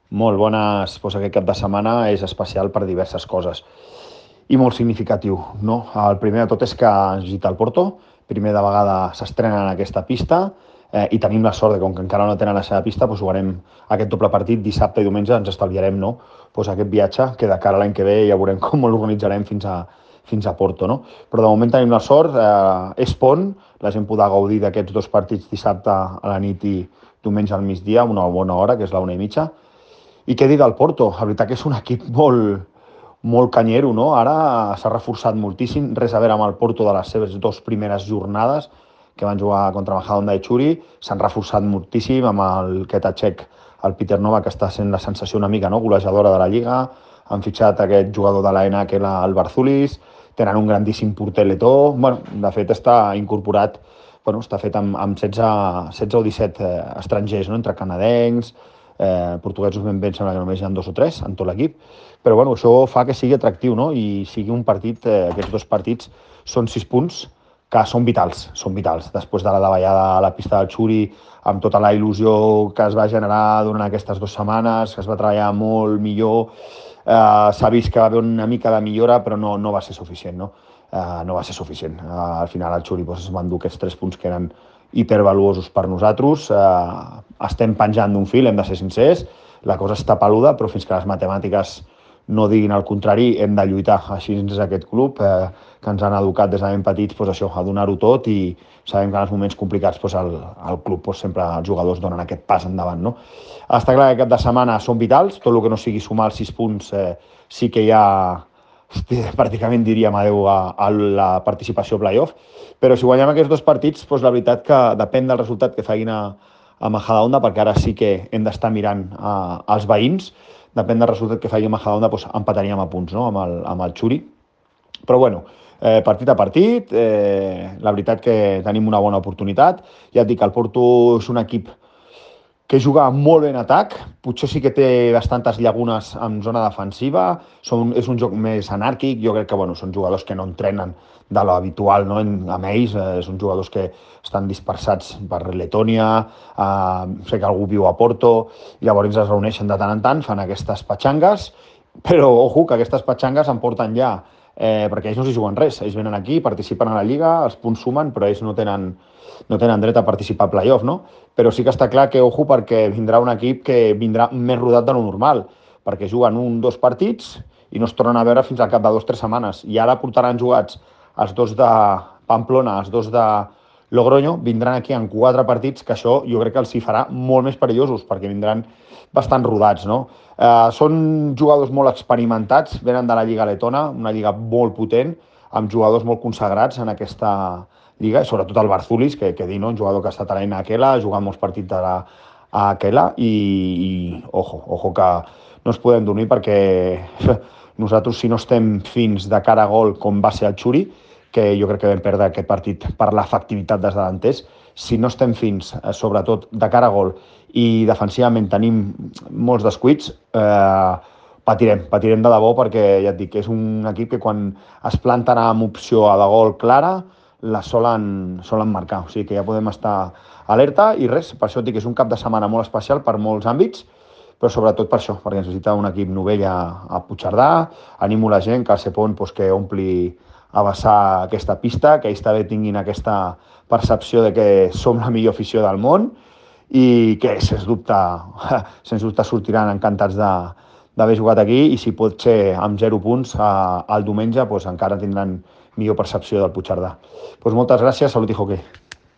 Molt bones. Aquest cap de setmana és especial per diverses coses i molt significatiu, no? El primer de tot és que ens visita el Porto, primer de vegada s'estrena en aquesta pista i tenim la sort de que, com que encara no tenen la seva pista, jugarem aquest doble partit dissabte i diumenge, ens estalviarem, no? Aquest viatge que de cara a l'any que ve ja veurem com l'organitzarem fins a Porto, no? Però de moment tenim la sort, és pont, la gent podrà gaudir d'aquests dos partits dissabte a la nit i diumenge al migdia, una bona hora, que és la 1:30. I què dir del Porto? La veritat que és un equip molt canyero, no? Ara s'ha reforçat moltíssim, res a veure amb el Porto de les seves dues primeres jornades, que van jugar contra Majadahonda i Churi, s'han reforçat moltíssim amb el Ketacek, el Peter Nova, que està sent la sensació una mica, no?, golejadora de la Lliga, han fitxat aquest jugador de l'AENA, que era el Barzulis, tenen un grandíssim porter letó, de fet està incorporat, està fet amb 16 o 17 estrangers, no?, entre canadencs, portuguesos ben bé, em sembla que només hi ha 2 o 3 en tot l'equip, però això fa que sigui atractiu, no?, i sigui un partit, aquests dos partits són 6 punts que són vitals. Després de la davallada a la pista del Xuri, amb tota la il·lusió que es va generar durant aquestes 2 setmanes, que es va treballar molt millor, s'ha vist que va haver una mica de millora, però no va ser suficient, no? No va ser suficient. Al final el Xuri es van dur aquests 3 punts que eren hipervaluosos per nosaltres. Estem penjant d'un fil, hem de ser sincers, la cosa està peluda, però fins que les matemàtiques no diguin el contrari, hem de lluitar. Així és aquest club, que ens han educat des de ben petits a donar-ho tot, i sabem que en els moments complicats el club sempre els jugadors donen aquest pas endavant, no? Està clar que cap de setmana són vitals, tot el que no sigui sumar els 6 punts sí que ja pràcticament diríem adeu a la participació playoff, però si guanyem aquests dos partits, la veritat que depèn del resultat que facin a Majadahonda, perquè ara sí que hem d'estar mirant als veïns, depèn del resultat que faci Majadahonda, empataríem a punts, no?, amb el Xuri. Però partit a partit, la veritat que tenim una bona oportunitat. Ja et dic, el Porto és un equip que juga molt bé en atac, potser sí que té bastantes llagunes en zona defensiva, és un joc més anàrquic, jo crec que són jugadors que no entrenen de l'habitual, no? Amb ells, són jugadors que estan dispersats per Letònia, sé que algú viu a Porto, i llavors es reuneixen de tant en tant, fan aquestes patxangues, però ojo, que aquestes patxangues em porten ja, perquè ells no s'hi juguen res, ells venen aquí, participen a la Lliga, els punts sumen, però ells no tenen dret a participar a playoff, no? Però sí que està clar que, ojo, perquè vindrà un equip que vindrà més rodat de lo normal, perquè juguen 1 o 2 partits i no es tornen a veure fins al cap de 2 o 3 setmanes. I ara portaran jugats els 2 de Pamplona, els 2 de Logroño, vindran aquí en 4 partits, que això jo crec que els hi farà molt més perillosos, perquè vindran bastant rodats, no? Són jugadors molt experimentats, venen de la Lliga Letona, una lliga molt potent, amb jugadors molt consagrats en aquesta lliga, sobretot el Barzulis, que dir, no?, un jugador que ha estat a l'Aina Aquela, ha jugat molts partits a Aquela, i ojo que no ens podem dormir, perquè nosaltres, si no estem fins de cara a gol, com va ser el Xuri, que jo crec que vam perdre aquest partit per l'efectivitat dels davanters, si no estem fins, sobretot de cara a gol, i defensivament tenim molts descuits, patirem de debò, perquè ja et dic que és un equip que quan es planten amb opció a de gol clara, la solen marcar, o sigui que ja podem estar alerta, i res, per això et dic que és un cap de setmana molt especial per molts àmbits, però sobretot per això, perquè necessita un equip novell a Puigcerdà. Animo la gent que al Sepon que ompli a vessar aquesta pista, que ells també tinguin aquesta percepció de que som la millor afició del món, i que, sens dubte sortiran encantats d'haver jugat aquí, i si pot ser amb 0 punts el diumenge, encara tindran millor percepció del Puigcerdà. Moltes gràcies, salut i hoquei.